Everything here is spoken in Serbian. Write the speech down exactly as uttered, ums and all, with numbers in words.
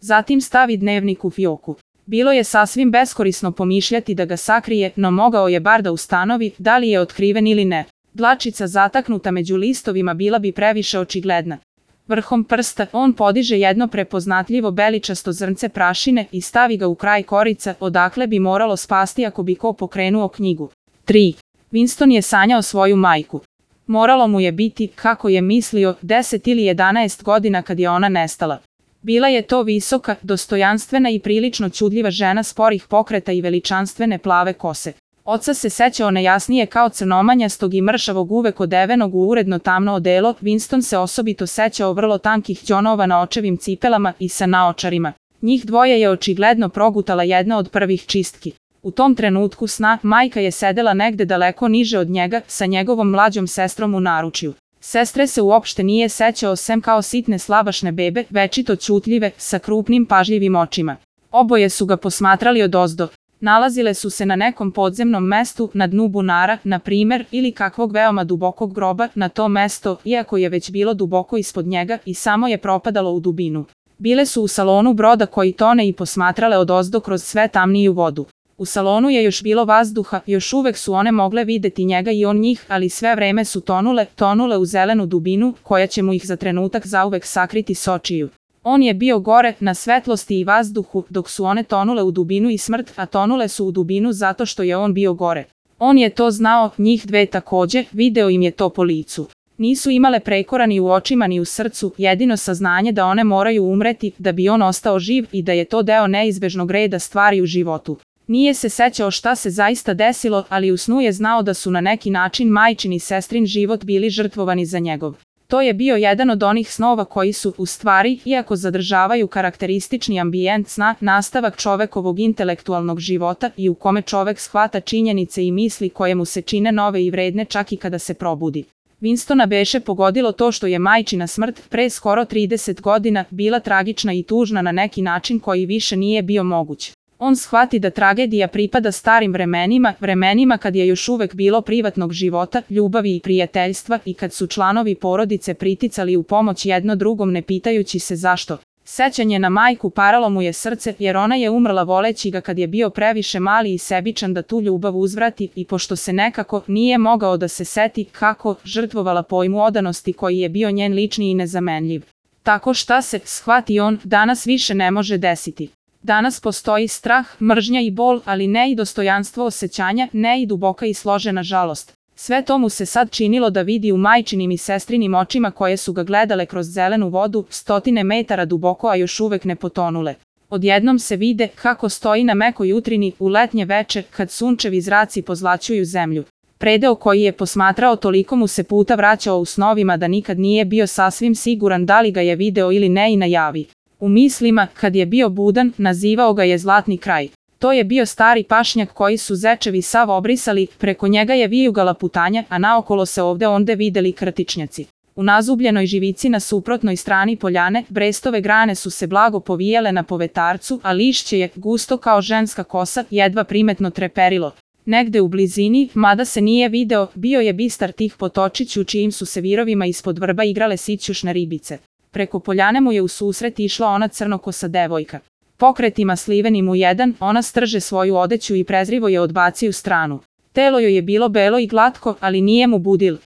Zatim stavi dnevnik u fioku. Bilo je sasvim beskorisno pomišljati da ga sakrije, no mogao je bar da ustanovi da li je otkriven ili ne. Dlačica zataknuta među listovima bila bi previše očigledna. Vrhom prsta on podiže jedno prepoznatljivo beličasto zrnce prašine i stavi ga u kraj korica, odakle bi moralo spasti ako bi ko pokrenuo knjigu. tri. Winston je sanjao svoju majku. Moralo mu je biti, kako je mislio, deset ili jedanaest godina kad je ona nestala. Bila je to visoka, dostojanstvena i prilično čudljiva žena sporih pokreta i veličanstvene plave kose. Oca se sećao nejasnije kao crnomanjastog i mršavog uvek odevenog u uredno tamno odelo, Winston se osobito sećao vrlo tankih đonova na očevim cipelama i sa naočarima. Njih dvoje je očigledno progutala jedna od prvih čistki. U tom trenutku sna, majka je sedela negde daleko niže od njega, sa njegovom mlađom sestrom u naručju. Sestre se uopšte nije sećao sem kao sitne slabašne bebe, večito ćutljive, sa krupnim pažljivim očima. Oboje su ga posmatrali odozdo. Nalazile su se na nekom podzemnom mestu, na dnu bunara, na primer, ili kakvog veoma dubokog groba, na to mesto, iako je već bilo duboko ispod njega i samo je propadalo u dubinu. Bile su u salonu broda koji tone i posmatrale odozdo kroz sve tamniju vodu. U salonu je još bilo vazduha, još uvek su one mogle videti njega i on njih, ali sve vreme su tonule, tonule u zelenu dubinu, koja će mu ih za trenutak zauvek sakriti s očiju. On je bio gore, na svetlosti i vazduhu, dok su one tonule u dubinu i smrt, a tonule su u dubinu zato što je on bio gore. On je to znao, njih dve takođe, video im je to po licu. Nisu imale prekora ni u očima ni u srcu, jedino saznanje da one moraju umreti, da bi on ostao živ i da je to deo neizbežnog reda stvari u životu. Nije se sećao šta se zaista desilo, ali u snu je znao da su na neki način majčin i sestrin život bili žrtvovani za njegov. To je bio jedan od onih snova koji su, u stvari, iako zadržavaju karakteristični ambijent sna, nastavak čovekovog intelektualnog života i u kome čovek shvata činjenice i misli koje mu se čine nove i vredne čak i kada se probudi. Winstona beše pogodilo to što je majčina smrt, pre skoro trideset godina, bila tragična i tužna na neki način koji više nije bio moguć. On shvati da tragedija pripada starim vremenima, vremenima kad je još uvek bilo privatnog života, ljubavi i prijateljstva i kad su članovi porodice priticali u pomoć jedno drugom ne pitajući se zašto. Sećanje na majku paralo mu je srce jer ona je umrla voleći ga kad je bio previše mali i sebičan da tu ljubav uzvrati i pošto se nekako nije mogao da se seti kako žrtvovala pojmu odanosti koji je bio njen lični i nezamenljiv. Tako šta se, shvati on, danas više ne može desiti. Danas postoji strah, mržnja i bol, ali ne i dostojanstvo osjećanja, ne i duboka i složena žalost. Sve to mu se sad činilo da vidi u majčinim i sestrinim očima koje su ga gledale kroz zelenu vodu, stotine metara duboko, a još uvek ne potonule. Odjednom se vide kako stoji na mekoj jutrini u letnje veče kad sunčevi zraci pozlaćuju zemlju. Predeo koji je posmatrao toliko mu se puta vraćao u snovima da nikad nije bio sasvim siguran da li ga je video ili ne i najavi. U mislima, kad je bio budan, nazivao ga je Zlatni kraj. To je bio stari pašnjak koji su zečevi sav obrisali, preko njega je vijugala putanja, a naokolo se ovde onde videli krtičnjaci. U nazubljenoj živici na suprotnoj strani poljane, brestove grane su se blago povijele na povetarcu, a lišće je, gusto kao ženska kosa, jedva primetno treperilo. Negde u blizini, mada se nije video, bio je bistar tih potočić u čijim su se virovima ispod vrba igrale sićušne ribice. Preko poljane mu je u susret išla ona crnokosa devojka. Pokretima slivenim u jedan, ona strže svoju odeću i prezrivo je odbaci u stranu. Telo joj je bilo belo i glatko, ali nije mu budil.